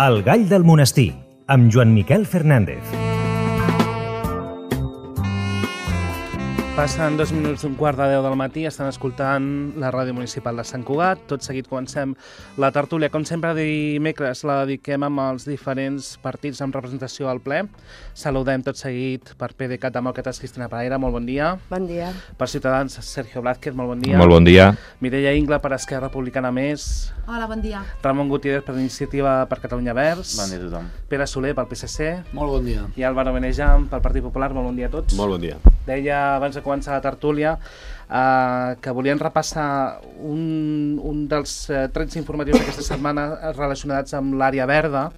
El gall del monestir, amb Joan Miquel Fernández. Passen 2 minuts d'un quart de 10 del matí, estan escoltant la ràdio municipal de Sant Cugat. Tot seguit comencem la tertúlia. Com sempre, dimecres la dediquem amb els diferents partits amb representació al ple. Saludem tot seguit per PDeCAT Demòcrates, Cristina Pereira, molt bon dia. Bon dia. Per Ciutadans, Sergio Blázquez, molt bon dia. Molt bon dia. Mireia Ingla, per Esquerra Republicana Més. Hola, bon dia. Ramon Gutiérrez, per Iniciativa per Catalunya Verds. Bon dia a tothom. Pere Soler, pel PSC. Molt bon dia. I Álvaro Benejam, pel Partit Popular. Molt bon dia a tots. Molt bon dia. Deia abans de començar la tertúlia que volien repassar un dels trets informatius d'aquesta setmana relacionats amb l'àrea verda.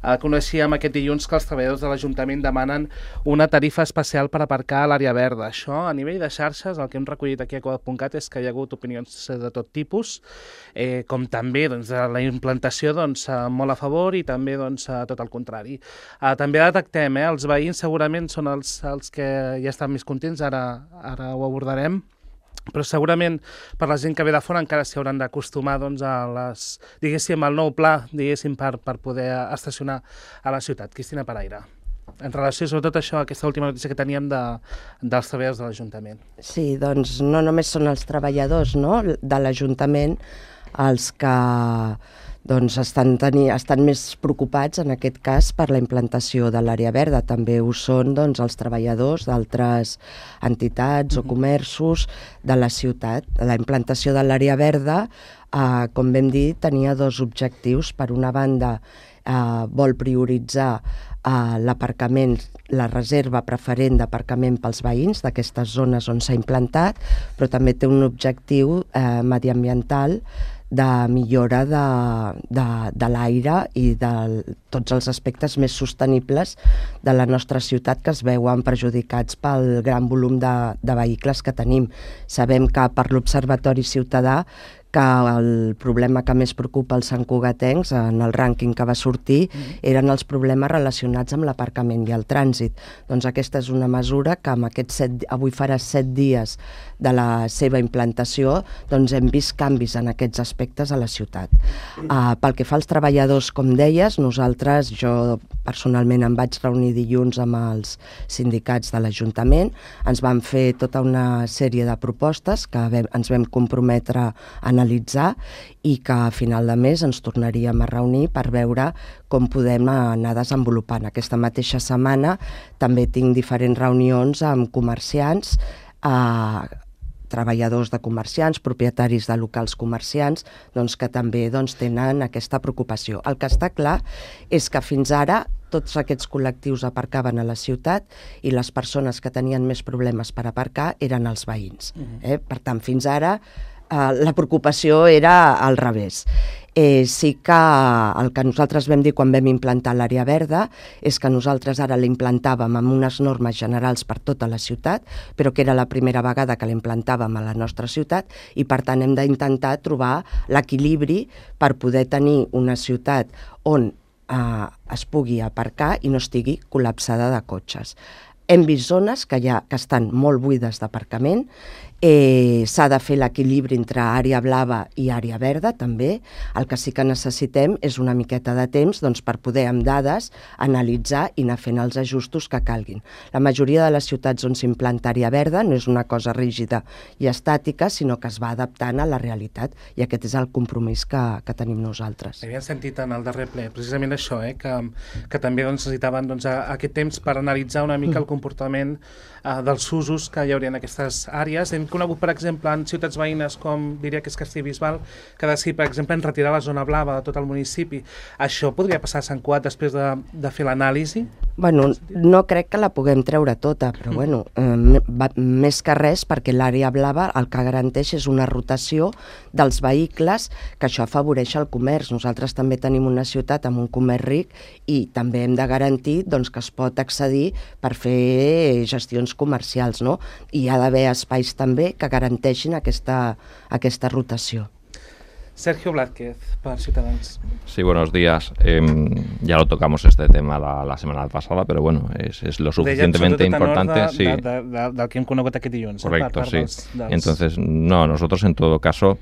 Coneixíem aquest dilluns que els treballadors de l'Ajuntament demanen una tarifa especial per aparcar a l'àrea verda. Això, a nivell de xarxes, el que hem recollit aquí a Cugat.cat és que hi ha hagut opinions de tot tipus, com també de la implantació molt a favor i també tot el contrari. També detectem, els veïns segurament són els que ja estan més contents, ara ho abordarem, però segurament per la gent que ve de fora encara s'hi hauran d'acostumar al nou pla per poder estacionar a la ciutat. Cristina Pereira, en relació sobretot a això, aquesta última notícia que teníem dels treballadors de l'Ajuntament. Sí, doncs no només són els treballadors de l'Ajuntament els que estan més preocupats en aquest cas per la implantació de l'àrea verda. També ho són els treballadors d'altres entitats o comerços de la ciutat. La implantació de l'àrea verda, com vam dir, tenia dos objectius. Per una banda, vol prioritzar l'aparcament, la reserva preferent d'aparcament pels veïns d'aquestes zones on s'ha implantat, però també té un objectiu mediambiental de millora de l'aire i de tots els aspectes més sostenibles de la nostra ciutat que es veuen perjudicats pel gran volum de vehicles que tenim. Sabem que per l'Observatori Ciutadà que el problema que més preocupa els santcugatencs en el rànquing que va sortir eren els problemes relacionats amb l'aparcament i el trànsit. Doncs aquesta és una mesura que amb avui farà 7 dies de la seva implantació, hem vist canvis en aquests aspectes a la ciutat. Pel que fa als treballadors, com deies, jo personalment em vaig reunir dilluns amb els sindicats de l'Ajuntament, ens van fer tota una sèrie de propostes que ens vam comprometre a analitzar i que a final de mes ens tornaríem a reunir per veure com podem anar desenvolupant. Aquesta mateixa setmana també tinc diferents reunions amb comerciants, treballadors de comerciants, propietaris de locals comerciants, que també tenen aquesta preocupació. El que està clar és que fins ara tots aquests col·lectius aparcaven a la ciutat i les persones que tenien més problemes per aparcar eren els veïns. Per tant, fins ara la preocupació era al revés. Sí que el que nosaltres vam dir quan vam implantar l'àrea verda és que nosaltres ara l'implantàvem amb unes normes generals per tota la ciutat, però que era la primera vegada que l'implantàvem a la nostra ciutat i per tant hem d'intentar trobar l'equilibri per poder tenir una ciutat on es pugui aparcar i no estigui col·lapsada de cotxes. Hem vist zones que estan molt buides d'aparcament. S'ha de fer l'equilibri entre àrea blava i àrea verda també. El que sí que necessitem és una miqueta de temps per poder amb dades analitzar i anar fent els ajustos que calguin. La majoria de les ciutats on s'implanta àrea verda no és una cosa rígida i estàtica, sinó que es va adaptant a la realitat i aquest és el compromís que tenim nosaltres. Havíem sentit en el darrer ple precisament això, que també necessitaven aquest temps per analitzar una mica el comportament dels usos que hi hauria en aquestes àrees. Hem conegut, per exemple, en ciutats veïnes com diria que és Castellbisbal, que decidir, per exemple, en retirar la zona blava de tot el municipi. Això podria passar a Sant Cugat després de fer l'anàlisi? No crec que la puguem treure tota, però més que res perquè l'àrea blava el que garanteix és una rotació dels vehicles, que això afavoreix el comerç. Nosaltres també tenim una ciutat amb un comerç ric i també hem de garantir que es pot accedir per fer gestions comercials, I hi ha d'haver espais també que garanteixin aquesta rotació. Sergio Blázquez, per Ciutadans. Sí, buenos días. Ya lo tocamos este tema la semana pasada, pero bueno, es lo suficientemente importante. Sí. Del que hem conegut aquest dilluns. Correcto, sí. Entonces, no, nosotros en todo caso,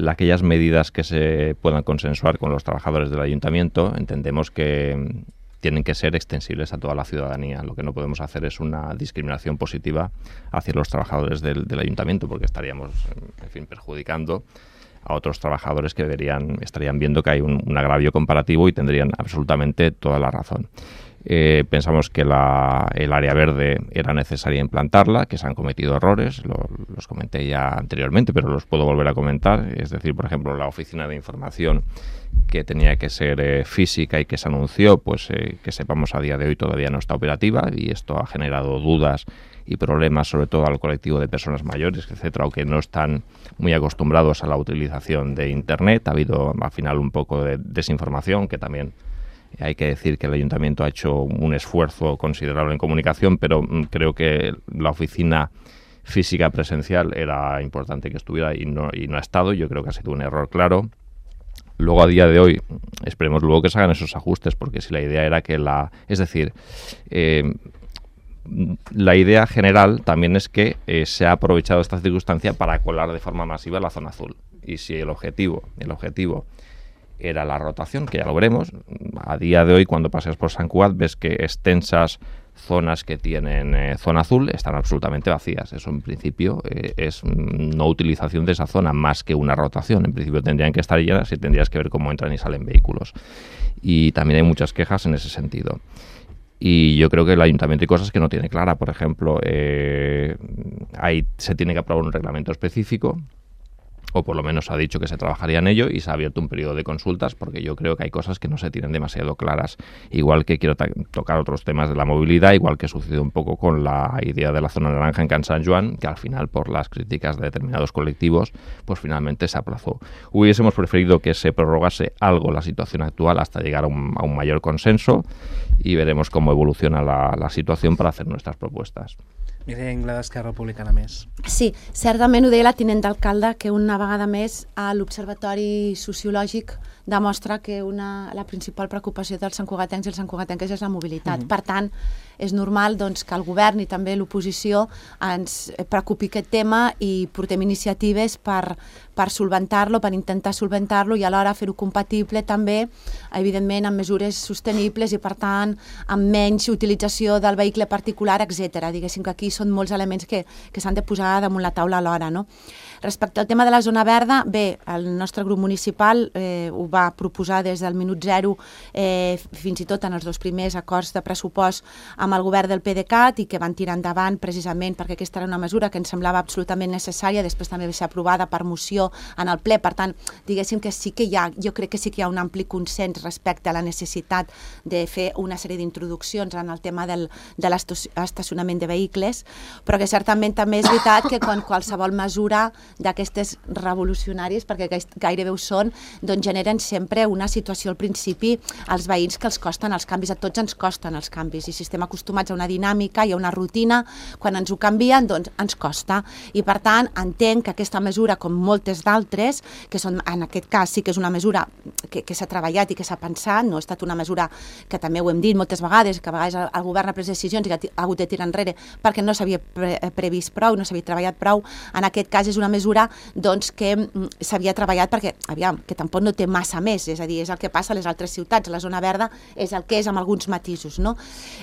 aquellas medidas que se puedan consensuar con los trabajadores del ayuntamiento, entendemos que tienen que ser extensibles a toda la ciudadanía. Lo que no podemos hacer es una discriminación positiva hacia los trabajadores del ayuntamiento, porque estaríamos, en fin, perjudicando a otros trabajadores que estarían viendo que hay un agravio comparativo y tendrían absolutamente toda la razón. Pensamos que el área verde era necesaria implantarla, que se han cometido errores, los comenté ya anteriormente, pero los puedo volver a comentar. Es decir, por ejemplo, la oficina de información que tenía que ser física y que se anunció, pues que sepamos a día de hoy todavía no está operativa, y esto ha generado dudas y problemas sobre todo al colectivo de personas mayores, etcétera, o que no están muy acostumbrados a la utilización de Internet. Ha habido al final un poco de desinformación, que también hay que decir que el ayuntamiento ha hecho un esfuerzo considerable en comunicación, pero creo que la oficina física presencial era importante que estuviera y no ha estado. Yo creo que ha sido un error claro. Luego, a día de hoy, esperemos luego que se hagan esos ajustes, porque si la idea era que la idea general también es que se ha aprovechado esta circunstancia para colar de forma masiva la zona azul. Y si el objetivo era la rotación, que ya lo veremos, a día de hoy cuando paseas por Sant Cugat ves que extensas zonas que tienen zona azul están absolutamente vacías. Eso en principio es no utilización de esa zona más que una rotación. En principio tendrían que estar llenas y tendrías que ver cómo entran y salen vehículos. Y también hay muchas quejas en ese sentido. Y yo creo que el ayuntamiento hay cosas que no tiene clara. Por ejemplo, se tiene que aprobar un reglamento específico, o por lo menos ha dicho que se trabajaría en ello, y se ha abierto un periodo de consultas, porque yo creo que hay cosas que no se tienen demasiado claras. Igual que quiero tocar otros temas de la movilidad, igual que sucedió un poco con la idea de la zona naranja en Can Sant Joan, que al final, por las críticas de determinados colectivos, pues finalmente se aplazó. Hubiésemos preferido que se prorrogase algo la situación actual hasta llegar a un mayor consenso, y veremos cómo evoluciona la situación para hacer nuestras propuestas. Mireia Ingla, d'Esquerra Republicana Més. Sí, certament ho deia la tinent d'alcalde, que una vegada més l'Observatori Sociològic demostra que la principal preocupació dels santcugatencs i els santcugatenques és la mobilitat. Per tant, és normal doncs, que el govern i també l'oposició ens preocupi aquest tema i portem iniciatives per solventar-lo, per intentar solventar-lo i alhora fer-ho compatible també, evidentment, amb mesures sostenibles i, per tant, amb menys utilització del vehicle particular, etc. Diguéssim que aquí són molts elements que s'han de posar damunt la taula alhora, no? Respecte al tema de la zona verda, bé, el nostre grup municipal ho va proposar des del minut zero, fins i tot en els 2 primers acords de pressupost amb el govern del PDeCAT, i que van tirar endavant precisament perquè aquesta era una mesura que ens semblava absolutament necessària, després també va ser aprovada per moció en el ple. Per tant, diguéssim que sí que jo crec que sí que hi ha un ampli consens respecte a la necessitat de fer una sèrie d'introduccions en el tema de l'estacionament de vehicles, però que certament també és veritat que quan qualsevol mesura d'aquestes revolucionàries, perquè gairebé ho són, doncs generen sempre una situació al principi als veïns que els costen els canvis. A tots ens costen els canvis, i si estem acostumats a una dinàmica i a una rutina, quan ens ho canvien, doncs ens costa. I per tant, entenc que aquesta mesura, com moltes d'altres, que són, en aquest cas sí que és una mesura que s'ha treballat i que s'ha pensat, no ha estat una mesura que també ho hem dit moltes vegades, que a vegades el govern ha pres decisions i ha hagut de tirar enrere perquè no s'havia previst prou, no s'havia treballat prou. En aquest cas és una mesura doncs, que s'havia treballat perquè, aviam, que tampoc no té massa més, és a dir, és el que passa a les altres ciutats, la zona verda és el que és amb alguns matisos, no?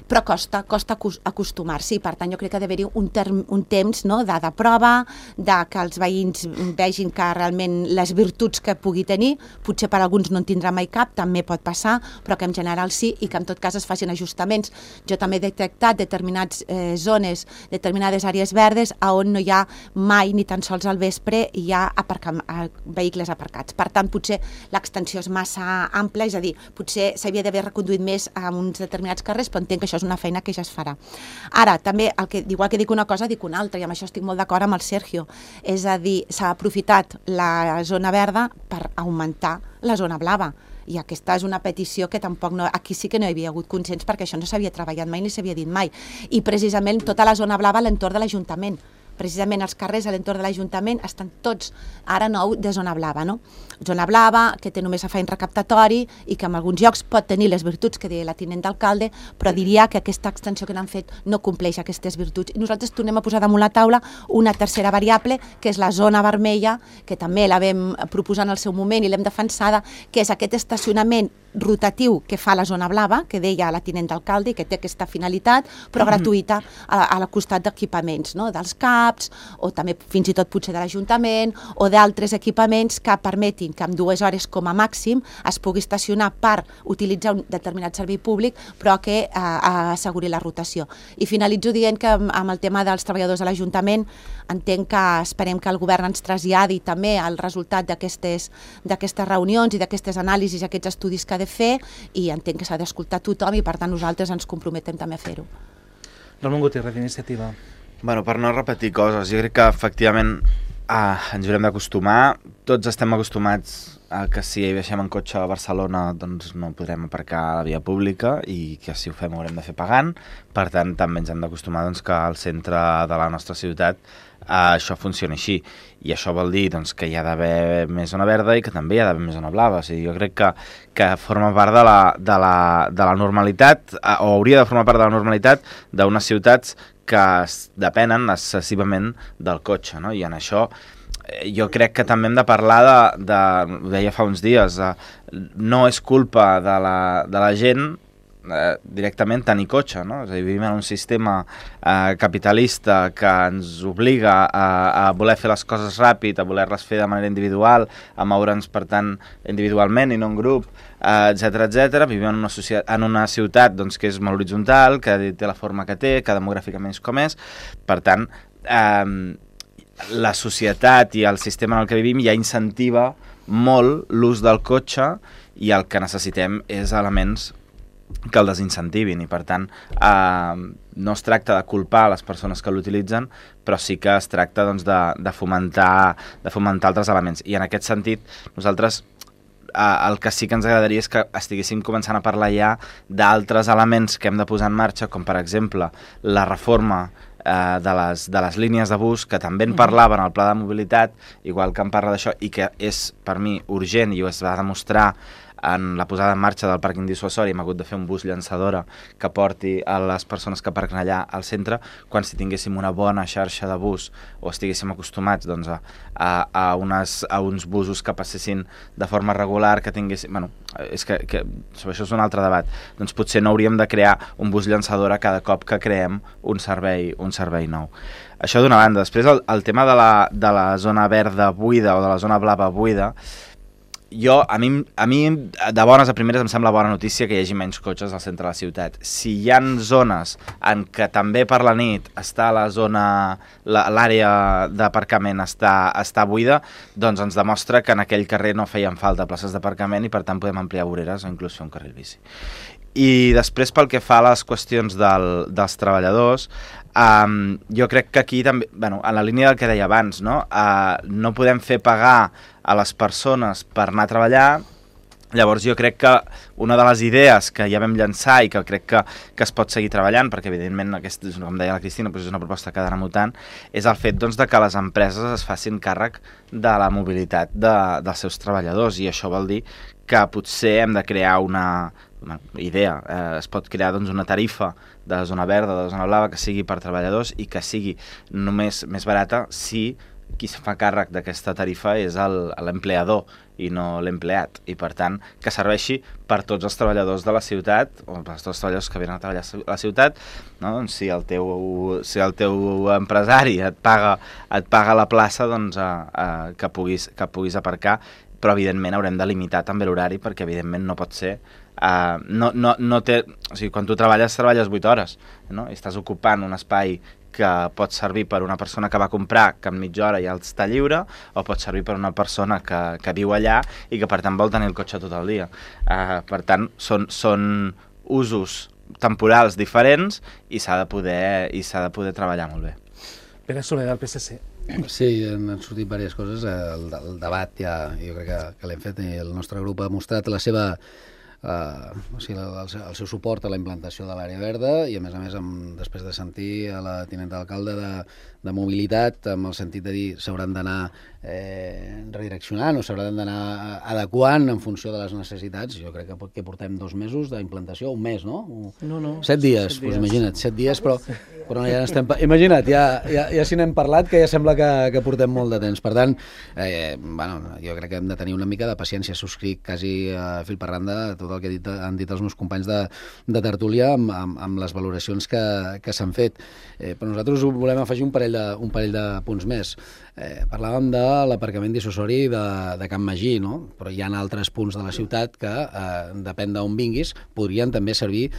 Però costa acostumar-s'hi, per tant jo crec que ha d'haver-hi un temps de prova, que els veïns vegin que realment les virtuts que pugui tenir, potser per alguns no en tindrà mai cap, també pot passar, però que en general sí, i que en tot cas es facin ajustaments. Jo també he detectat determinades zones, determinades àrees verdes on no hi ha mai ni tan sols al vespre hi ha vehicles aparcats. Per tant, potser l'extensió és massa ampla, és a dir, potser s'havia d'haver reconduït més a uns determinats carrers, però entenc que això és una feina que ja es farà. Ara, també, igual que dic una cosa, dic una altra, i amb això estic molt d'acord amb el Sergio. És a dir, s'ha aprofitat la zona verda per augmentar la zona blava. I aquesta és una petició que tampoc aquí sí que no hi havia hagut consens, perquè això no s'havia treballat mai ni s'havia dit mai. I precisament tota la zona blava a l'entorn de l'Ajuntament. precisament els carrers a l'entorn de l'Ajuntament estan tots, ara nou, de zona blava, no? Zona blava, que té només afany recaptatori i que en alguns llocs pot tenir les virtuts que deia la tinent d'alcalde, però diria que aquesta extensió que n'han fet no compleix aquestes virtuts. I nosaltres tornem a posar damunt la taula una tercera variable, que és la zona vermella, que també la vam proposar en el seu moment i l'hem defensada, que és aquest estacionament rotatiu que fa la zona blava, que deia la tinent d'alcalde, que té aquesta finalitat, però gratuïta al costat d'equipaments, no? Dels CAPs, o també fins i tot potser de l'Ajuntament, o d'altres equipaments que permetin que en 2 hores com a màxim es pugui estacionar per utilitzar un determinat servei públic, però que asseguri la rotació. I finalitzo dient que amb el tema dels treballadors de l'Ajuntament entenc que esperem que el govern ens traslladi també el resultat d'aquestes reunions i d'aquestes anàlisis i aquests estudis que ha de fer, i entenc que s'ha d'escoltar tothom i per tant nosaltres ens comprometem també a fer-ho. Ramon Gutiérrez, d'Iniciativa. Bueno, per no repetir coses, jo crec que efectivament ens haurem d'acostumar. Tots estem acostumats a que si baixem en cotxe a Barcelona doncs no podrem aparcar a la via pública i que si ho fem ho haurem de fer pagant. Per tant, també ens hem d'acostumar doncs, que al centre de la nostra ciutat això funciona així. I això vol dir doncs, que hi ha d'haver més zona verda i que també hi ha d'haver més zona blava. O sigui, jo crec que forma part de la normalitat, o hauria de formar part de la normalitat d'unes ciutats que depenen excessivament del cotxe, no? I en això jo crec que també hem de parlar ho deia fa uns dies, no és culpa de la gent directament tenir cotxe, no? És a dir, vivim en un sistema capitalista que ens obliga a voler fer les coses ràpid, a voler-les fer de manera individual, a moure'ns, per tant, individualment i no en grup, etc etc. Vivim en una ciutat doncs, que és molt horitzontal, que té la forma que té, que demogràficament és com és. Per tant, la societat i el sistema en el que vivim ja incentiva molt l'ús del cotxe i el que necessitem és elements que el desincentivi, i per tant no es tracta de culpar les persones que l'utilitzen, però sí que es tracta doncs, de fomentar altres elements. I en aquest sentit nosaltres el que sí que ens agradaria és que estiguéssim començant a parlar ja d'altres elements que hem de posar en marxa, com per exemple la reforma de les línies de bus, que també en parlaven al pla de mobilitat, igual que en parla d'això, i que és per mi urgent i ho es va demostrar en la posada en marxa del pàrquing dissuasori. Hem hagut de fer un bus llançadora que porti a les persones que aparquen allà al centre, quan si tinguéssim una bona xarxa de bus o estiguéssim acostumats doncs, a uns busos que passessin de forma regular, que tinguéssim... Bueno, és que això és un altre debat. Doncs potser no hauríem de crear un bus llançadora cada cop que creem un servei nou. Això d'una banda. Després el tema de la zona verda buida o de la zona blava buida, a mi de bones a primeres em sembla bona notícia que hi hagi menys cotxes al centre de la ciutat. Si hi ha zones en què també per la nit està l'àrea d'aparcament està buida, doncs ens demostra que en aquell carrer no feien falta places d'aparcament i per tant podem ampliar voreres o inclús fer un carril bici. I després, pel que fa a les qüestions dels treballadors, jo crec que aquí també, en la línia del que deia abans, no podem fer pagar a les persones per anar a treballar. Llavors jo crec que una de les idees que ja vam llançar i que crec que es pot seguir treballant, perquè evidentment, com deia la Cristina, és una proposta que ha d'anar mutant, és el fet de que les empreses es facin càrrec de la mobilitat dels seus treballadors, i això vol dir que potser hem de crear una idea, es pot crear una tarifa de zona verda, de zona blava, que sigui per treballadors i que sigui només més barata si qui se fa càrrec d'aquesta tarifa és l'empleador i no l'empleat, i per tant que serveixi per tots els treballadors de la ciutat o per tots els treballadors que venen a treballar a la ciutat, no? Doncs si el teu empresari et paga la plaça, doncs que puguis aparcar, però evidentment haurem de limitar també l'horari, perquè evidentment no pot ser no té, o sigui, quan tu treballes 8 hores, no? I estàs ocupant un espai que pot servir per una persona que va comprar, que en mitja hora ja està lliure, o pot servir per una persona que viu allà i que per tant vol tenir el cotxe tot el dia. Per tant, són usos temporals diferents i s'ha de poder treballar molt bé. Pere Soler, del PSC. Sí, han sortit diverses coses. El debat ja, jo crec que l'hem fet, i el nostre grup ha mostrat la seva el seu suport a la implantació de l'àrea verda i, a més, després de sentir a la tinenta d'alcalde de mobilitat, amb el sentit de dir s'hauran d'anar redireccionant o s'hauran d'anar adequant en funció de les necessitats. Jo crec que portem 2 mesos d'implantació, un mes, no? No. 7 dies, doncs imagina't, 7 dies, però ja estem... Imagina't, ja si n'hem parlat, que ja sembla que portem molt de temps. Per tant, jo crec que hem de tenir una mica de paciència. Subscric quasi a fil per randa tot el que han dit els meus companys de tertúlia amb les valoracions que s'han fet. Però nosaltres volem afegir un parell de punts més. Parlàvem de l'aparcament dissuasori de Can Magí, no? Però hi ha altres punts de la ciutat que, depèn d'on vinguis, podrien també servir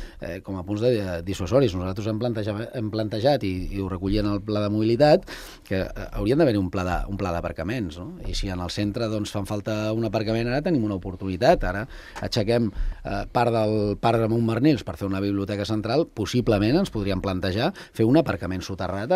com a punts dissuasoris. Nosaltres hem plantejat, i ho recollien en el pla de mobilitat, que haurien d'haver-hi un pla d'aparcaments, no? I si en el centre fan falta un aparcament, ara tenim una oportunitat. Ara aixequem part del parc de Montmarnils per fer una biblioteca central, possiblement ens podríem plantejar fer un aparcament soterrat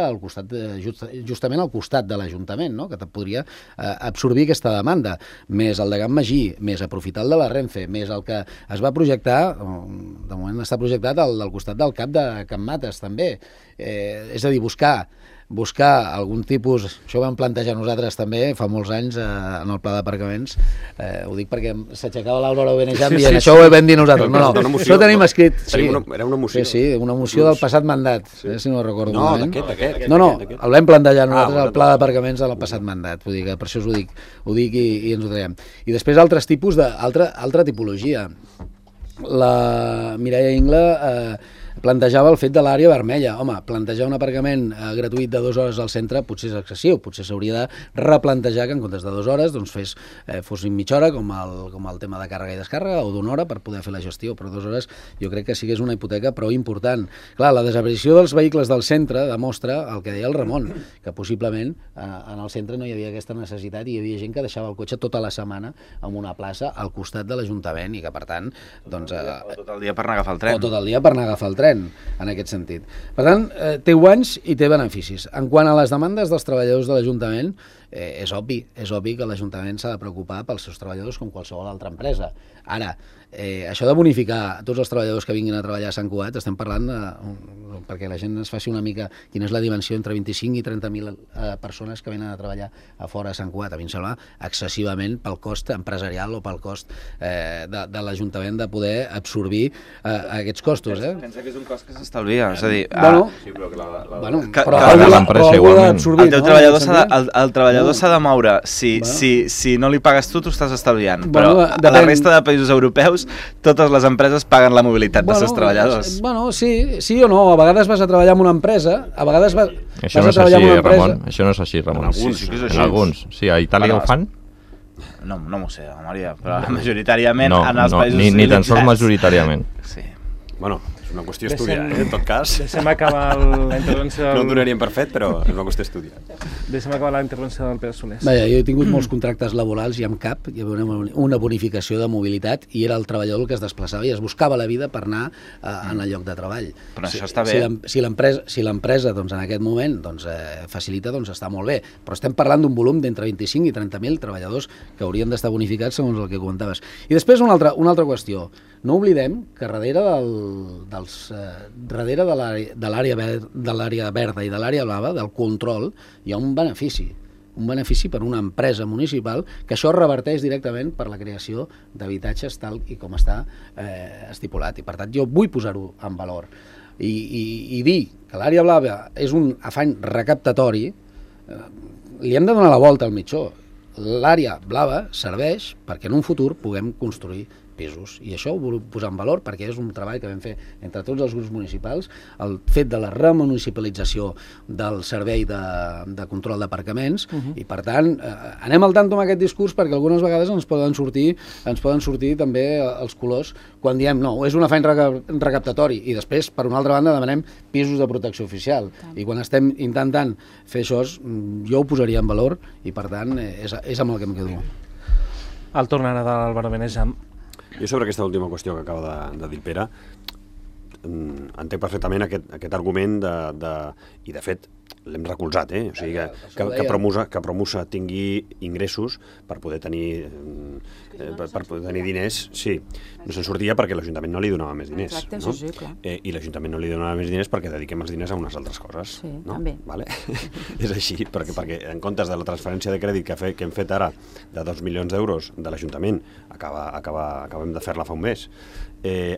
justament al costat de l'Ajuntament, no? Que podria absorbir aquesta demanda, més el de Can Magí, més aprofitar el de la Renfe, més el que es va projectar, de moment està projectat al costat del CAP de Can Mates també, és a dir, buscar algun tipus, això ho vam plantejar nosaltres també fa molts anys en el pla d'aparcaments, ho dic perquè s'aixecava l'Aurora Benejam dient això ho vam dir nosaltres, no, això ho tenim escrit. Era una moció. Sí, una moció del passat mandat, si no recordo malament. No, d'aquest. No, el vam plantejar nosaltres al pla d'aparcaments del passat mandat, vull dir que per això us ho dic i ens ho traiem. I després altres tipus altra tipologia. La Mireia Ingla plantejava el fet de l'àrea vermella. Home, plantejar un aparcament gratuït de 2 hores al centre potser és excessiu, potser s'hauria de replantejar que en comptes de 2 hores fos mitja hora, com el tema de càrrega i descàrrega, o d'1 hora per poder fer la gestió, però 2 hores jo crec que sí que és una hipoteca prou important. Clar, la desaparició dels vehicles del centre demostra el que deia el Ramon, que possiblement en el centre no hi havia aquesta necessitat i hi havia gent que deixava el cotxe tota la setmana en una plaça al costat de l'Ajuntament i que, per tant, doncs... O tot el dia per anar a agafar el tren. O tot el dia per anar a agafar el tren, en aquest sentit. Per tant, té guanys i té beneficis. En quant a les demandes dels treballadors de l'Ajuntament, és obvi que l'Ajuntament s'ha de preocupar pels seus treballadors com qualsevol altra empresa. Ara, això de bonificar tots els treballadors que vinguin a treballar a Sant Cugat, estem parlant, perquè la gent es faci una mica quina és la dimensió entre 25 i 30.000 persones que venen a treballar a fora a Sant Cugat. A mi em sembla excessivament pel cost empresarial o pel cost de l'Ajuntament de poder absorbir aquests costos. Pensa que és un cost que s'estalvia, és a dir... Però algú l'ha d'absorbir. El treballador s'ha de moure. Si no li pagues tu, t'ho estàs estalviant. Però a la resta de països europeus totes les empreses paguen la mobilitat dels seus treballadors. Sí o no, a vegades vas a treballar en una empresa, a vegades vas a treballar en una empresa... Això no és així, Ramon. En alguns. Sí, a Itàlia ho fan? No m'ho sé, Maria, però majoritàriament en els països... Ni tan sols majoritàriament. Sí. Bueno, és una qüestió estudiada, en tot cas. Deixem acabar la intervenció... No ho donaríem per fet, però és una qüestió estudiada. Deixem acabar la intervenció del Pere Solés. Jo he tingut molts contractes laborals i amb cap hi havia una bonificació de mobilitat i era el treballador el que es desplaçava i es buscava la vida per anar en el lloc de treball. Però això està bé. Si l'empresa en aquest moment facilita, està molt bé. Però estem parlant d'un volum d'entre 25 i 30.000 treballadors que haurien d'estar bonificats segons el que comentaves. I després una altra qüestió. No oblidem que darrere de l'àrea verda i de l'àrea blava, del control, hi ha un benefici per una empresa municipal que això reverteix directament per la creació d'habitatges tal i com està estipulat. I per tant jo vull posar-ho en valor i dir que l'àrea blava és un afany recaptatori, li hem de donar la volta al mitjó. L'àrea blava serveix perquè en un futur puguem construir pisos. I això ho vull posar en valor perquè és un treball que vam fer entre tots els grups municipals, el fet de la remunicipalització del servei de control d'aparcaments i per tant anem al tanto amb aquest discurs perquè algunes vegades ens poden sortir també els colors quan diem no, és un afany recaptatori i després per una altra banda demanem pisos de protecció oficial i quan estem intentant fer això jo ho posaria en valor i per tant és amb el que em quedo. El torn ara d'Álvaro Benejam. Jo sobre aquesta última qüestió que acaba de dir Pere, entenc perfectament aquest argument i de fet l'hem recolzat, o sigui que Promusa tingui ingressos per poder tenir per tenir diners, sí, no se'n sortia perquè l'Ajuntament no li donava més diners. Exacte, no? sí, clar. I l'Ajuntament no li donava més diners perquè dediquem els diners a unes altres coses. Sí, no? també. Vale? És així, perquè en comptes de la transferència de crèdit que hem fet ara de 2 milions d'euros de l'Ajuntament, acabem de fer-la fa un mes,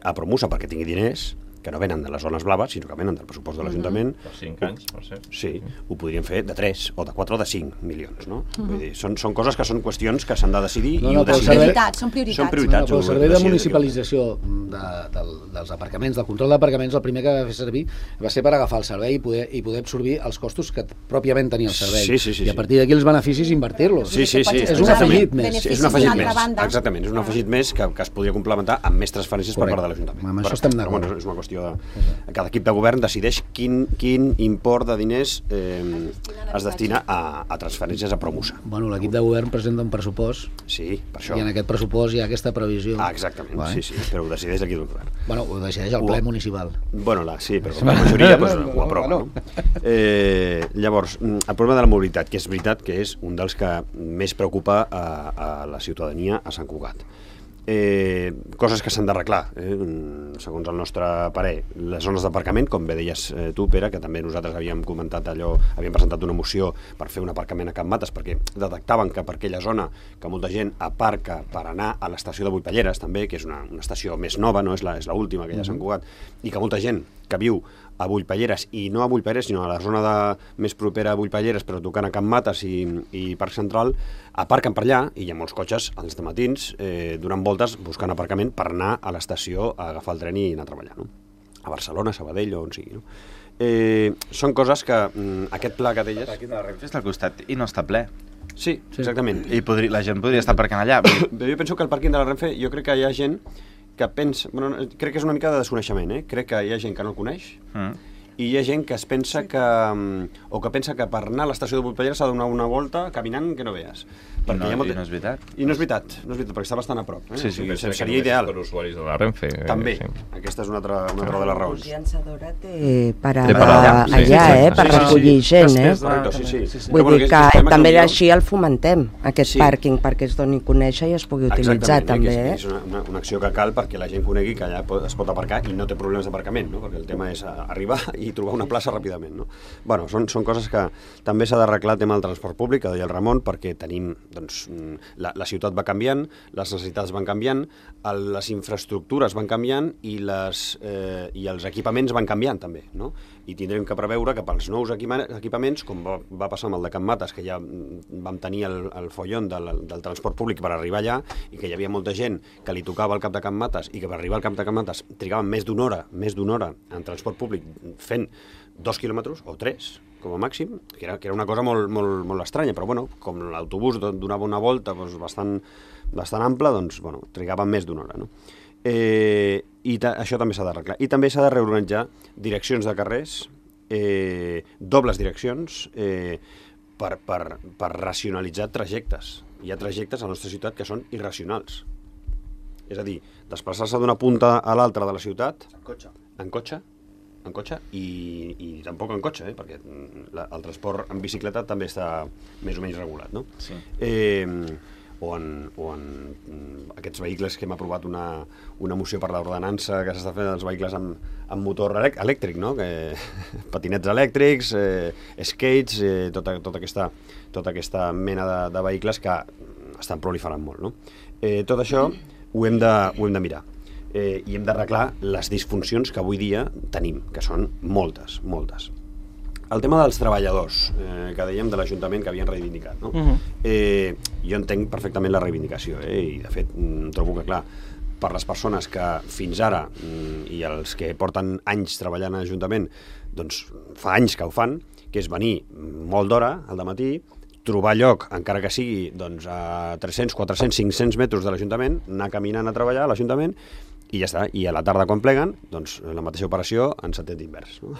a Promusa perquè tingui diners, que no venen de les zones blaves, sinó que venen del pressupost de l'Ajuntament. Per 5 anys, per ser. Sí, ho podríem fer de 3, o de 4 o de 5 milions, no? Vull dir, són coses que són qüestions que s'han de decidir i ho decidim. Són prioritats. Són prioritats. El servei de municipalització dels aparcaments, del control d'aparcaments, el primer que va fer servir va ser per agafar el servei i poder absorbir els costos que pròpiament tenia el servei. Sí. I a partir d'aquí els beneficis invertir-los. Sí. És un afegit més. És un afegit més, exactament. És un afegit més que es podria complementar amb més transferències per part de l'Ajuntament. Amb això estem d'acord. És una qüestió de... Cada equip de govern decideix quin import de diners es destina a transferències a Promusa. Bueno, l'equip de govern presenta un pressupost. Sí, per això. I en aquest pressupost hi ha aquesta previsió. Exactament, vale. Sí, però ho decideix l'equip de govern. Bueno, ho decideix el ple municipal. Bueno, sí, però la majoria ho aprova. No? Llavors, el problema de la mobilitat, que és veritat que és un dels que més preocupa a la ciutadania a Sant Cugat. Coses que s'han d'arreglar, segons el nostre parer. Les zones d'aparcament, com bé deies tu, Pere, que també nosaltres havíem comentat allò, havíem presentat una moció per fer un aparcament a Can Mates, perquè detectaven que per aquella zona que molta gent aparca per anar a l'estació de Vullpelleres, també, que és una estació més nova, no és l'última que hi ha a Sant Cugat, i que molta gent que viu a Vullpelleres, i no a Vullpelleres, sinó a la zona més propera a Vullpelleres, però tocant a Can Mates i Parc Central, aparquen per allà, i hi ha molts cotxes als matins donant voltes buscant aparcament per anar a l'estació a agafar el tren i anar a treballar, no? A Barcelona, a Sabadell o on sigui, no? Són coses que aquest pla que deies... El pàrquing de la Renfe està al costat i no està ple. Sí, exactament. I la gent podria estar aparcant allà. Jo penso que el pàrquing de la Renfe, jo crec que hi ha gent que pensa... Bueno, crec que és una mica de desconeixement, Crec que hi ha gent que no el coneix, i hi ha gent que es pensa que... o que pensa que per anar a l'estació de Vullpelleres s'ha de donar una volta caminant que no veus. I no és veritat. I no és veritat, perquè està bastant a prop. Sí, seria ideal. Per usuaris de la Renfe. També, aquesta és una altra de les raons. La llançadora té parada allà, per recollir gent, Vull dir que també així el fomentem, aquest pàrquing, perquè es doni a conèixer i es pugui utilitzar també. És una acció que cal perquè la gent conegui que allà es pot aparcar i no té problemes d'aparcament, perquè el tema és arribar i trobar una plaça ràpidament. Bueno, són coses que també s'ha d'arreglar el tema del transport públic, que deia el Ramon, perquè tenim la ciutat va canviant, les necessitats van canviant, les infraestructures van canviant i els equipaments van canviant també, no? I tindrem que preveure que pels nous equipaments, com va passar amb el de Can Mates, que ja vam tenir el follon del transport públic per arribar allà i que hi havia molta gent que li tocava al cap de Can Mates i que per arribar al cap de Can Mates trigaven més d'una hora en transport públic fent 2 quilòmetres o 3 com a màxim, que era una cosa molt estranya, però bueno, com l'autobús donava una volta bastant ampla, doncs bueno, trigaven més d'una hora, no? I això també s'ha d'arreglar. I també s'ha de reorganitzar direccions de carrers, dobles direccions, per racionalitzar trajectes. Hi ha trajectes a la nostra ciutat que són irracionals. És a dir, desplaçar-se d'una punta a l'altra de la ciutat en cotxe i tampoc en cotxe, perquè el transport en bicicleta també està més o menys regulat, no? Sí. O en aquests vehicles que hem aprovat una moció per l'ordenança que s'està fent dels vehicles amb motor elèctric, no? Patinets elèctrics, skates, tota aquesta mena de vehicles que estan proliferant molt, no? Tot això ho hem de mirar. I hem d'arreglar les disfuncions que avui dia tenim, que són moltes. El tema dels treballadors, que dèiem de l'Ajuntament que havien reivindicat, no? Jo entenc perfectament la reivindicació, i de fet trobo que, clar, per les persones que fins ara, i els que porten anys treballant a l'Ajuntament, doncs fa anys que ho fan, que és venir molt d'hora al dematí, trobar lloc, encara que sigui doncs, a 300, 400, 500 metres de l'Ajuntament, anar caminant a treballar a l'Ajuntament, i ja està. I a la tarda, quan pleguen, doncs la mateixa operació en sentit invers, no?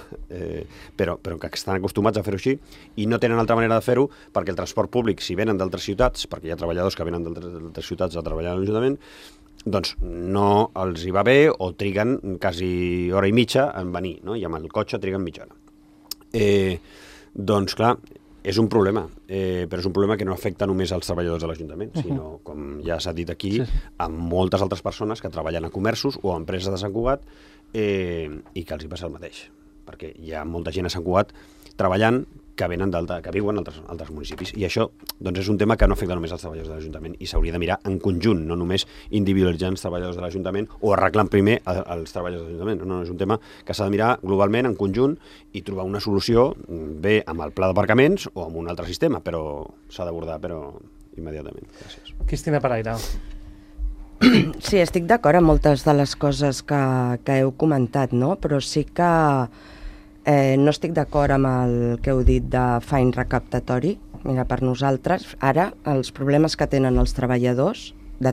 Però que estan acostumats a fer-ho així i no tenen altra manera de fer-ho perquè el transport públic, si venen d'altres ciutats, perquè hi ha treballadors que venen d'altres ciutats a treballar a l'Ajuntament, doncs no els hi va bé o triguen quasi hora i mitja en venir, no? I amb el cotxe triguen mitja hora. Doncs clar, És un problema, però és un problema que no afecta només als treballadors de l'Ajuntament, sinó, com ja s'ha dit aquí, a moltes altres persones que treballen a comerços o a empreses de Sant Cugat i que els hi passa el mateix, perquè hi ha molta gent a Sant Cugat treballant que viuen en altres municipis. I això doncs, és un tema que no afecta només als treballadors de l'Ajuntament i s'hauria de mirar en conjunt, no només individualitzant els treballadors de l'Ajuntament o arreglant primer els treballadors de l'Ajuntament. No, és un tema que s'ha de mirar globalment, en conjunt, i trobar una solució bé amb el pla d'aparcaments o amb un altre sistema, però s'ha d'abordar immediatament. Gràcies. Cristina Paraire. Sí, estic d'acord amb moltes de les coses que heu comentat, no? Però sí que no estic d'acord amb el que heu dit de fany recaptatori. Mira, per nosaltres, ara, els problemes que tenen els treballadors, de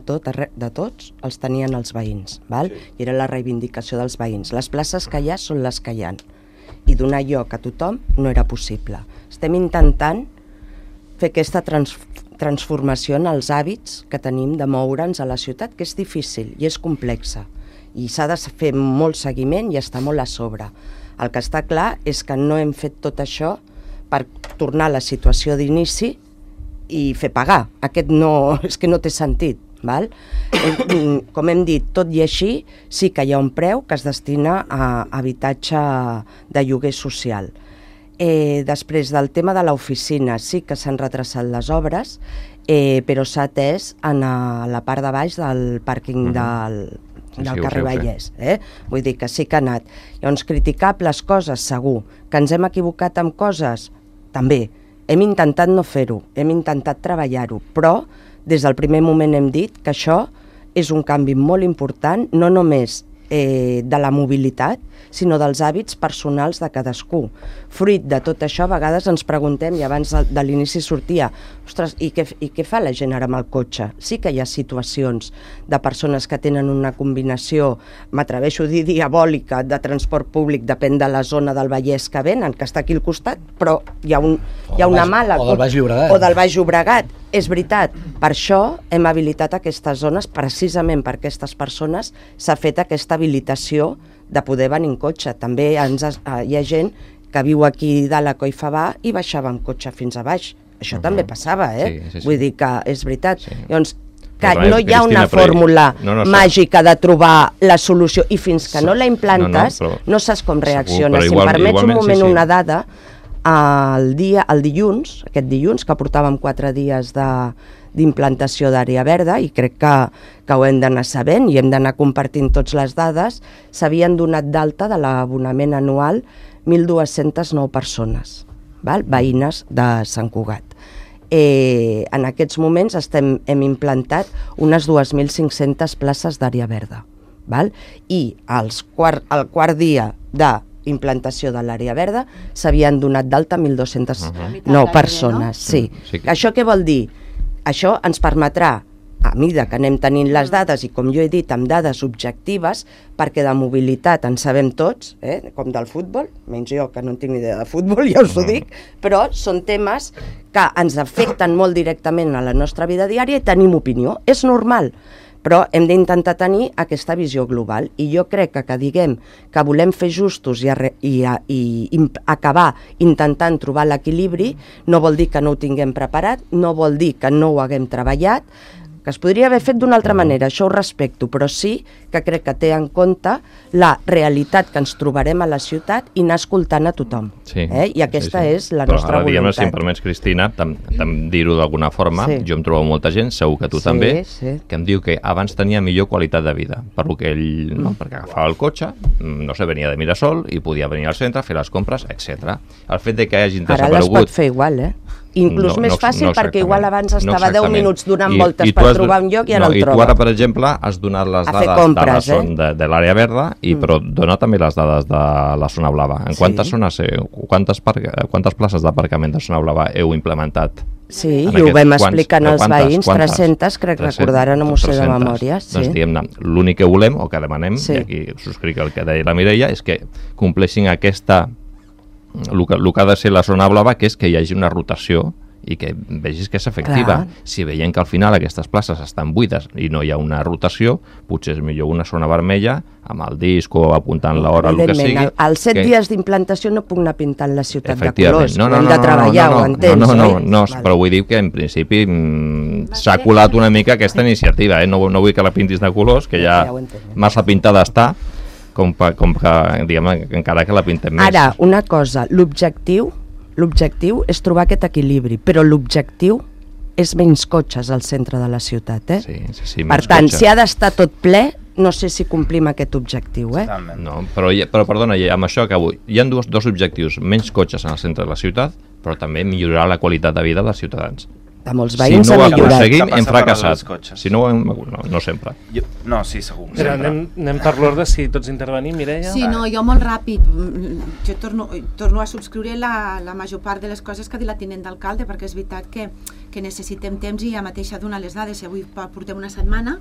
tots, els tenien els veïns, val? Sí. I era la reivindicació dels veïns. Les places que hi ha són les que hi ha. I donar lloc a tothom no era possible. Estem intentant fer aquesta transformació en els hàbits que tenim de moure'ns a la ciutat, que és difícil i és complexa. I s'ha de fer molt seguiment i estar molt a sobre. El que està clar és que no hem fet tot això per tornar a la situació d'inici i fer pagar. Aquest és que no té sentit. Val? Com hem dit, tot i així, sí que hi ha un preu que es destina a habitatge de lloguer social. Després del tema de l'oficina, sí que s'han retrasat les obres, però s'ha atès a la part de baix del pàrquing del carrer Vallès. Vull dir que sí que ha anat. Llavors, criticables coses, segur. Que ens hem equivocat amb coses? També. Hem intentat no fer-ho, hem intentat treballar-ho, però des del primer moment hem dit que això és un canvi molt important, no només de la mobilitat, sinó dels hàbits personals de cadascú. Fruit de tot això, a vegades ens preguntem, i abans de l'inici sortia, ostres, i què fa la gent ara amb el cotxe? Sí que hi ha situacions de persones que tenen una combinació, m'atreveixo a dir diabòlica, de transport públic, depèn de la zona del Vallès que venen, que està aquí al costat, però hi ha una mala... O del Baix Llobregat. O del Baix Llobregat. És veritat, per això hem habilitat aquestes zones, precisament per aquestes persones s'ha fet aquesta habilitació de poder venir en cotxe. També hi ha gent que viu aquí de la Collfabà i baixava amb cotxe fins a baix. Això també passava, Sí. Vull dir que és veritat. Sí. Llavors, que no hi ha una fórmula màgica de trobar la solució i fins que no la implantes no saps com reacciona. Si em permets un moment una dada, aquest dilluns, que portàvem 4 dies d'implantació d'àrea verda, i crec que ho hem d'anar sabent i hem d'anar compartint tots les dades, s'havien donat d'alta de l'abonament anual 1.209 persones, veïnes de Sant Cugat. En aquests moments hem implantat unes 2.500 places d'àrea verda. I al quart dia d'implantació de l'àrea verda s'havien donat d'alta 1.209 persones. Sí. Això què vol dir? Això ens permetrà, a mida que anem tenint les dades, i com jo he dit, amb dades objectives, perquè de mobilitat en sabem tots, com del futbol, menys jo que no en tinc ni idea de futbol, ja us ho dic, però són temes que ens afecten molt directament a la nostra vida diària i tenim opinió. És normal, però hem d'intentar tenir aquesta visió global. I jo crec que diguem que volem fer justos i acabar intentant trobar l'equilibri no vol dir que no ho tinguem preparat, no vol dir que no ho haguem treballat, que es podria haver fet d'una altra manera, això ho respecto, però sí que crec que té en compte la realitat que ens trobarem a la ciutat i anar escoltant a tothom. I aquesta és la nostra voluntat. Però ara, si em permets, Cristina, dir-ho d'alguna forma, jo em trobo molta gent, segur que tu també, que em diu que abans tenia millor qualitat de vida, perquè agafava el cotxe, no sé, venia de Mirasol i podia venir al centre, fer les compres, etc. El fet de que hagin desaparegut... Ara les pot fer igual, inclús més fàcil, perquè igual abans estava 10 minuts donant voltes per trobar un lloc i ara el troba. I tu ara, per exemple, has donat les dades de l'àrea verda, però dona també les dades de la zona blava. En quantes zones, quantes places d'aparcament de zona blava heu implementat? Sí, i ho vam explicar als veïns, 300, crec recordar, no m'ho sé de memòria. Doncs diguem-ne, l'únic que volem, o que demanem, i aquí subscric el que deia la Mireia, és que compleixin el que ha de ser la zona blava, que és que hi hagi una rotació i que vegis que és efectiva. Clar. Si veiem que al final aquestes places estan buides i no hi ha una rotació, potser és millor una zona vermella amb el disc o apuntant l'hora, el que sigui. Evidentment, als 7 dies d'implantació no puc anar pintant la ciutat de Efectivament. colors, ho hem de treballar, ho entens, no, però vull dir que en principi s'ha colat una mica aquesta iniciativa, no vull que la pintis de colors, que ja massa pintada està, com que, diguem, encara que la pintem més. Ara, una cosa, l'objectiu és trobar aquest equilibri, però l'objectiu és menys cotxes al centre de la ciutat, Sí, per tant, si ha d'estar tot ple, no sé si complim aquest objectiu, No, però perdona, amb això acabo. Hi ha dos objectius, menys cotxes en el centre de la ciutat, però també millorar la qualitat de vida dels ciutadans. De molts veïns si no ho aconseguim, Què hem passa per fracassat. als cotxes? Si no, no sempre. No, sí, segur. Però anem per l'ordre, si tots intervenim, Mireia? Sí, no, jo molt ràpid. Jo torno a subscriure la major part de les coses que ha dit la tinent d'alcalde, perquè és veritat que necessitem temps i ja mateix ha donat les dades. Si avui portem una setmana,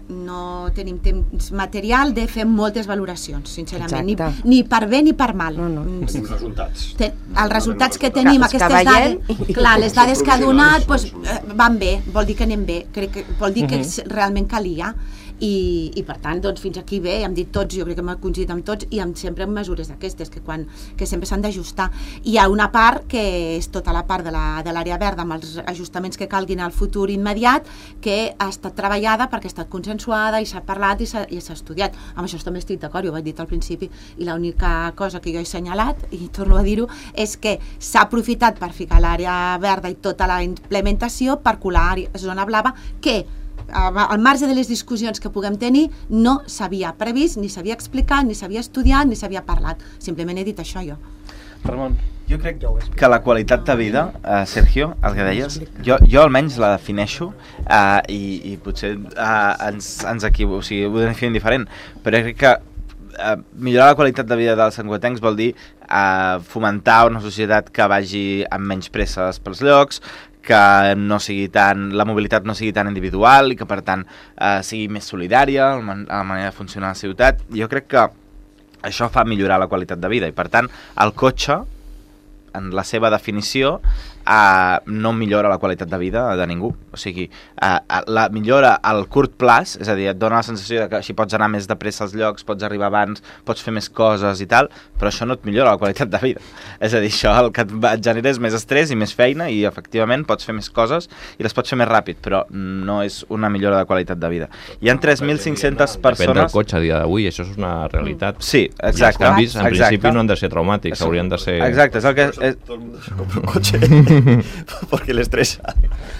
no tenim temps material de fer moltes valoracions, sincerament, ni per bé ni per mal. Els resultats. Els resultats que tenim, aquestes dades, clar, les dades que ha donat van bé, vol dir que anem bé, vol dir que realment calia. I per tant, doncs, fins aquí bé, hem dit tots, jo crec que hem coincidit amb tots, i sempre amb mesures d'aquestes, que sempre s'han d'ajustar. Hi ha una part que és tota la part de l'àrea verda, amb els ajustaments que calguin al futur immediat, que ha estat treballada perquè ha estat consensuada i s'ha parlat i s'ha estudiat. Amb això també estic d'acord, jo ho vaig dir al principi, i l'única cosa que jo he assenyalat, i torno a dir-ho, és que s'ha aprofitat per ficar l'àrea verda i tota la implementació per colar zona blava, que al marge de les discussions que puguem tenir, no s'havia previst, ni s'havia explicat, ni s'havia estudiat, ni s'havia parlat. Simplement he dit això jo. Ramon. Jo crec que la qualitat de vida, Sergio, el que deies, jo almenys la defineixo i potser ens equivoquem, o sigui, ho definim diferent, però crec que millorar la qualitat de vida dels santcugatencs vol dir fomentar una societat que vagi amb menys presses pels llocs, que la mobilitat no sigui tan individual i que per tant sigui més solidària a la manera de funcionar a la ciutat. Jo crec que això fa millorar la qualitat de vida i per tant el cotxe, en la seva definició, no millora la qualitat de vida de ningú. O sigui, la millora al curt plaç, és a dir, et dona la sensació que si pots anar més de pressa als llocs, pots arribar abans, pots fer més coses i tal, però això no et millora la qualitat de vida. És a dir, això el que et genera és més estrès i més feina i efectivament pots fer més coses i les pots fer més ràpid, però no és una millora de qualitat de vida. Hi ha 3.500 persones... Depèn del cotxe a dia d'avui, això és una realitat. Sí, exacte. I els canvis, en principi, no han de ser traumàtics, haurien de ser... Exacte, és el que... Todo el mundo se compra un coche porque le estresa.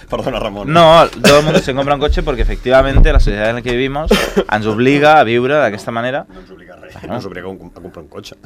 Perdona, Ramón. No, todo el mundo se compra un coche porque efectivamente la sociedad en la que vivimos ens obliga a viure d'aquesta manera. No ens obliga a res, no ens obliga a comprar un cotxe.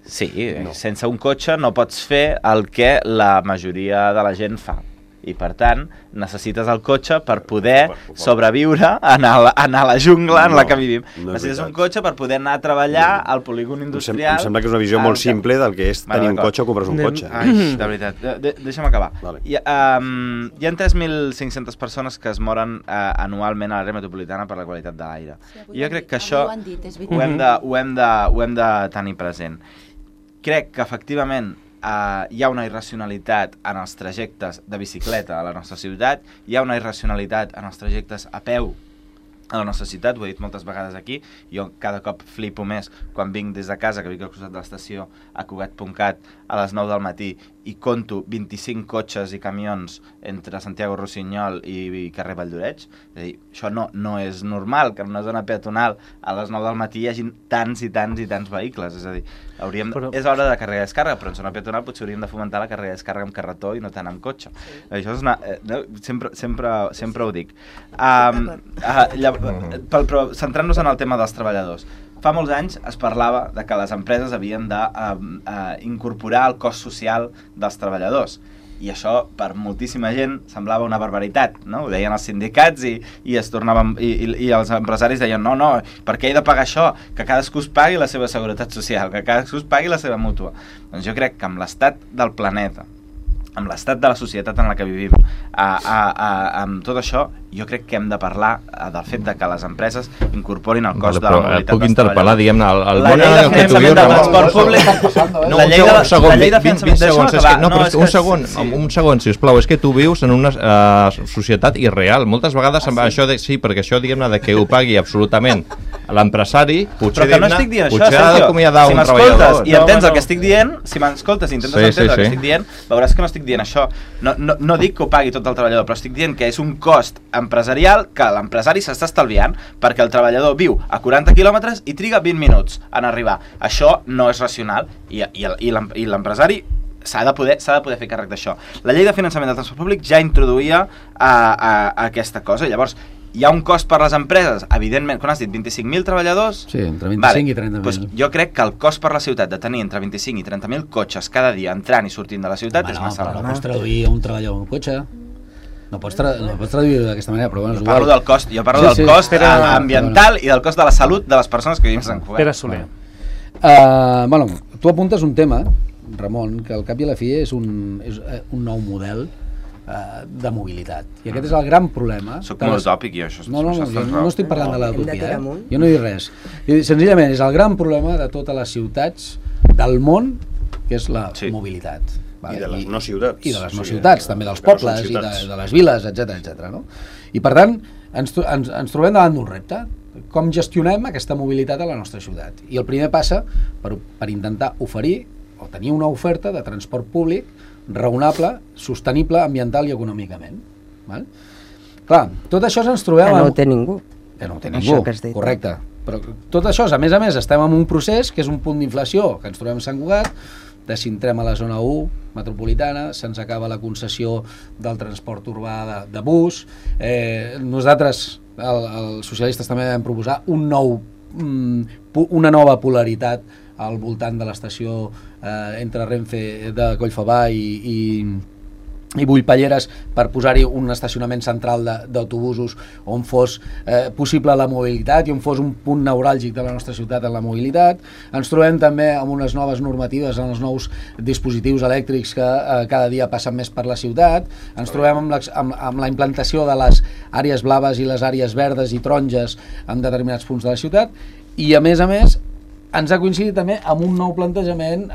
Sí, sense un cotxe no pots fer el que la majoria de la gent fa. I per tant, necessites el cotxe per poder sobreviure en la jungla en la que vivim. Necessites un cotxe per poder anar a treballar al polígon industrial. Em sembla que és una visió molt simple del que és tenir un cotxe o comprar un cotxe. Ai, de veritat, deixa'm acabar. Hi ha 3.500 persones que es moren anualment a l'àrea metropolitana per la qualitat de l'aire. Jo crec que això ho hem de tenir present. Crec que efectivament hi ha una irracionalitat en els trajectes de bicicleta a la nostra ciutat, hi ha una irracionalitat en els trajectes a peu a la nostra ciutat, ho he dit moltes vegades aquí, jo cada cop flipo més quan vinc des de casa, que vinc al costat de l'estació a Cugat.cat a les 9 del matí i conto 25 cotxes i camions entre Santiago Rossinyol i carrer Valldoreix. És a dir, això no és normal que en una zona peatonal a les 9 del matí hi hagi tants i tants i tants vehicles. És a dir, és hora de càrrega i descàrrega, però en zona peatonal potser hauríem de fomentar la càrrega i descàrrega amb carretó i no tant amb cotxe. Això és sempre ho dic. Però centrant-nos en el tema dels treballadors, fa molts anys es parlava de que les empreses havien d'incorporar el cost social dels treballadors i això per moltíssima gent semblava una barbaritat, no? Ho deien els sindicats i els empresaris deien no, per què he de pagar això? Que cadascú es pagui la seva seguretat social, que cadascú es pagui la seva mútua. Doncs jo crec que amb l'estat del planeta, amb l'estat de la societat en la que vivim, amb tot això, jo crec que hem de parlar del fet de que les empreses incorporin el cost de la mobilitat puc interpel·lar, diguem-ne, el la llei de finançament del transport públic, la llei de finançament... Un segon, sisplau, és que tu vius en una societat irreal. Moltes vegades això de sí, perquè això, diguem-ne, que ho pagui absolutament l'empresari, potser ha d'acomiadar un treballador. I entens el que estic dient, si m'escoltes i intentes entendre el que estic dient, veuràs que no estic dient això. No dic que ho pagui tot el treballador, però estic dient que és un cost empresarial que l'empresari s'està estalviant perquè el treballador viu a 40 quilòmetres i triga 20 minuts en arribar. Això no és racional i l'empresari s'ha de poder fer càrrec d'això. La llei de finançament del transport públic ja introduïa aquesta cosa. Llavors, hi ha un cost per les empreses, evidentment, quan has dit 25.000 treballadors... Sí, entre 25 i 30.000. Doncs jo crec que el cost per la ciutat de tenir entre 25 i 30.000 cotxes cada dia entrant i sortint de la ciutat és massa elevat. No pots traduir un treballador en un cotxe. No pots traduir d'aquesta manera, però bueno, és igual. Jo parlo del cost ambiental i del cost de la salut de les persones que vivim a Sant Cugat. Pere Soler. Tu apuntes un tema, Ramon, que al cap i a la fi és un nou model de mobilitat. I aquest és el gran problema. Soc molt utòpic, jo, això. No estic parlant de l'utopia, jo no dic res. Senzillament és el gran problema de totes les ciutats del món, que és la mobilitat. I de les no ciutats. I de les no ciutats, també dels pobles i de les viles, etc. I per tant, ens trobem davant d'un repte. Com gestionem aquesta mobilitat a la nostra ciutat? I el primer passa per intentar oferir o tenir una oferta de transport públic raonable, sostenible, ambiental i econòmicament. Clar, tot això ens trobem... Que no ho té ningú. Que no ho té ningú, correcte. Però tot això, a més, estem en un procés que és un punt d'inflació, que ens trobem a Sant Cugat, desintrem a la zona 1 metropolitana, se'ns acaba la concessió del transport urbà de bus. Nosaltres, els socialistes, també vam proposar una nova polaritat al voltant de l'estació entre Renfe de Collfabà i Bullpalleres per posar-hi un estacionament central d'autobusos on fos possible la mobilitat i on fos un punt neuràlgic de la nostra ciutat en la mobilitat. Ens trobem també amb unes noves normatives, amb els nous dispositius elèctrics que cada dia passen més per la ciutat. Ens trobem amb la implantació de les àrees blaves i les àrees verdes i taronges en determinats punts de la ciutat i, a més, ens ha coincidit també amb un nou plantejament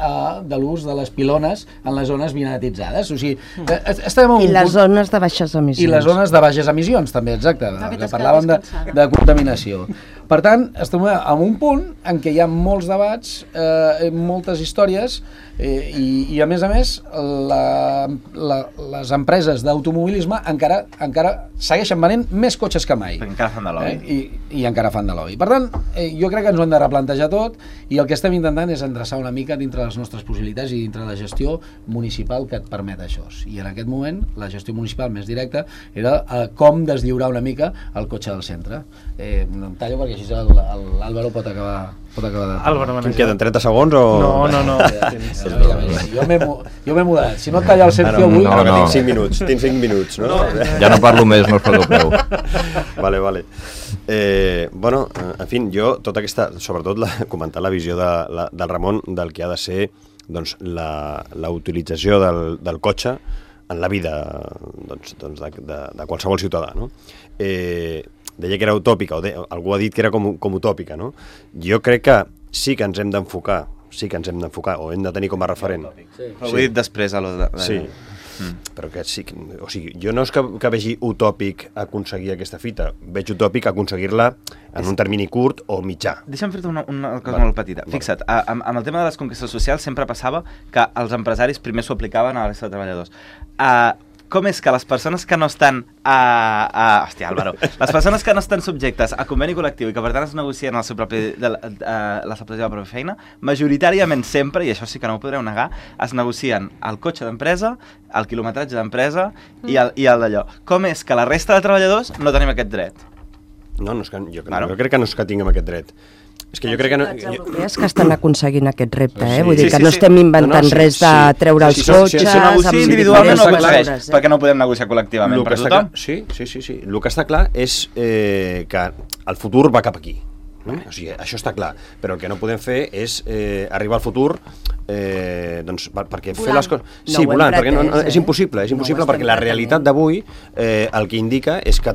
de l'ús de les pilones en les zones vinatitzades. O sigui, estem en un les zones de baixes emissions. I les zones de baixes emissions, també, exacte. Que parlàvem de contaminació. Per tant, estem en un punt en què hi ha molts debats, moltes històries, i a més, les empreses d'automobilisme encara segueixen venent més cotxes que mai. Encara fan de lobby. I encara fan de lobby. Per tant, jo crec que ens ho hem de replantejar tot i el que estem intentant és endreçar una mica dintre les nostres possibilitats i dintre la gestió municipal que et permet això. I en aquest moment, la gestió municipal més directa era com deslliurar una mica el cotxe del centre. No em tallo perquè així l'Àlvaro pot acabar de... Quin queden, 30 segons o...? No. Jo m'he mudat. Si no et talla el Sergio avui... No, tinc 5 minuts, no? Ja no parlo més, no us preocupeu. Vale. Bueno, en fi, jo, tota aquesta... Sobretot, comentar la visió del Ramon del que ha de ser la utilització del cotxe en la vida de qualsevol ciutadà, no? Deia que era utòpica, algú ha dit que era com utòpica, no? Jo crec que sí que ens hem d'enfocar, o hem de tenir com a referent. Ho he dit després a lo de... Sí, però que sí, o sigui, jo no és que vegi utòpic aconseguir aquesta fita, veig utòpic aconseguir-la en un termini curt o mitjà. Deixa'm fer-te una cosa molt petita. Fixa't, amb el tema de les conquestes socials sempre passava que els empresaris primer s'ho aplicaven a la resta de treballadors. Com és que les persones que no estan hòstia, Álvaro, les persones que no estan subjectes a conveni col·lectiu i que per tant es negocien la seva pròpia feina, majoritàriament sempre, i això sí que no ho podreu negar, es negocien el cotxe d'empresa, el quilometratge d'empresa i el d'allò. Com és que la resta de treballadors no tenim aquest dret? No, jo crec que no és que tinguem aquest dret. És que jo crec que no... europees que estan aconseguint aquest repte, vull dir que no estem inventant res de treure els cotxes... Si negocia individualment no aconsegueix, perquè no podem negociar col·lectivament per tothom. Sí. El que està clar és que el futur va cap aquí. O sigui, això està clar, però el que no podem fer és arribar al futur doncs, perquè fer les coses... Sí, volant, perquè és impossible, perquè la realitat d'avui el que indica és que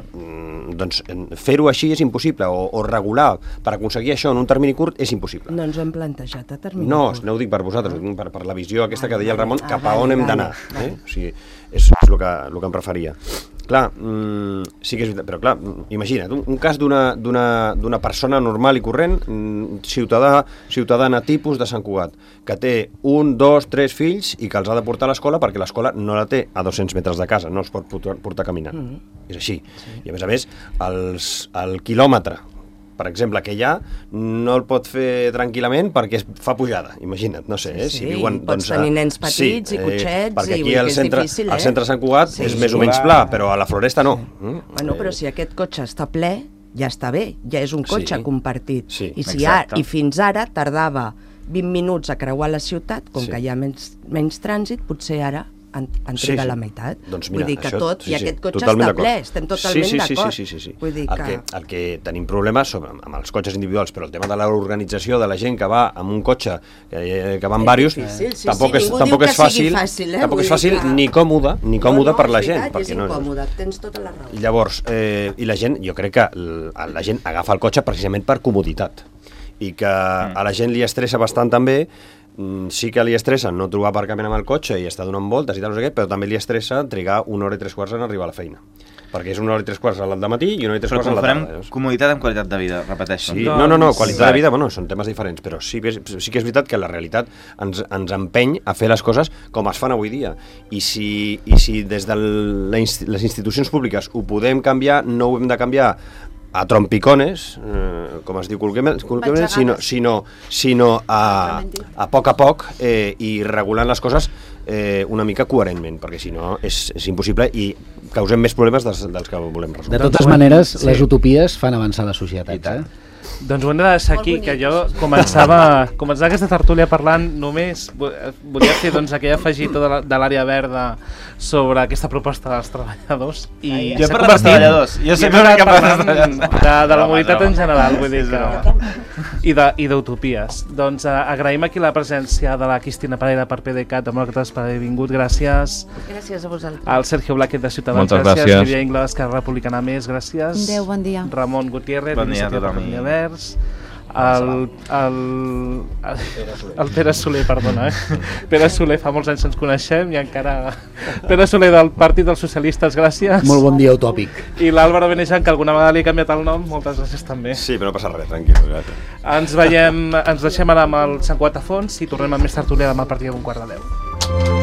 doncs, fer-ho així és impossible, o regular per aconseguir això en un termini curt és impossible. No ens ho hem plantejat a termini curt. No ho dic per vosaltres, ho dic per la visió aquesta que deia el Ramon, cap a on hem d'anar. O sigui, és el que em referia. Clar, sí que és veritat, però clar, imagina't, un cas d'una persona normal i corrent, ciutadana tipus de Sant Cugat, que té 1, 2, 3 fills i que els ha de portar a l'escola perquè l'escola no la té a 200 metres de casa, no els pot portar caminant. És així. I a més, el quilòmetre, per exemple, que hi ha, no el pot fer tranquil·lament perquè es fa pujada, imagina't, no sé, si viuen... Pots tenir nens petits i cotxets, perquè aquí al centre de Sant Cugat és més o menys pla, però a la Floresta no. Bueno, però si aquest cotxe està ple, ja està bé, ja és un cotxe compartit. I fins ara tardava 20 minuts a creuar la ciutat, com que hi ha menys trànsit, potser ara en triga la meitat. Vull dir que tot, i aquest cotxe està ple, estem totalment d'acord. El que tenim problemes amb els cotxes individuals, però el tema de l'organització de la gent que va amb un cotxe, que va amb diversos, tampoc és fàcil ni còmode per la gent. És incòmode, tens tota la raó. Llavors, i la gent, jo crec que la gent agafa el cotxe precisament per comoditat, i que a la gent li estressa bastant també. Sí que li estressa no trobar aparcament amb el cotxe i estar donant voltes i tal, no sé què, però també li estressa trigar 1 hora i 3 quarts en arribar a la feina. Perquè és 1 hora i 3 quarts al matí i 1 hora i 3 quarts a la tarda. Comoditat amb qualitat de vida, repeteixo. No, qualitat de vida, bueno, són temes diferents, però sí que és veritat que la realitat ens empeny a fer les coses com es fan avui dia. I si des de les institucions públiques ho podem canviar, no ho hem de canviar a trompicones, com es diu col·loquialment, sinó a poc i regulant les coses una mica coherentment, perquè si no és impossible i causem més problemes dels que volem resoldre. De totes maneres, les utopies fan avançar la societat. Doncs ho hem de deixar aquí, que jo començava aquesta tertúlia parlant només, volia fer aquell afegitó de l'àrea verda sobre aquesta proposta dels treballadors. Jo he parlat dels treballadors, jo sempre he parlat de la mobilitat en general, vull dir que... I d'utopies. Doncs agraïm aquí la presència de la Cristina Pereira per PDeCAT, demòcrates per haver vingut, gràcies. Gràcies a vosaltres. Al Sergio Blaquet de Ciutadans, gràcies. Lídia Ingla d'Esquerra Republicana Més, gràcies. Adéu, bon dia. Ramon Gutiérrez, d'iniciativa per Catalunya Verds. El Pere Soler, perdona, Pere Soler, fa molts anys ens coneixem i encara... Pere Soler del Partit dels Socialistes, gràcies. Molt bon dia utòpic. I l'Àlvaro Benejan, que alguna vegada li he canviat el nom, moltes gràcies també. Sí, però no passa res, tranquil. Ens deixem ara amb el Sant Cugat a fons i tornem amb més tertúlia demà a partir d'15:15.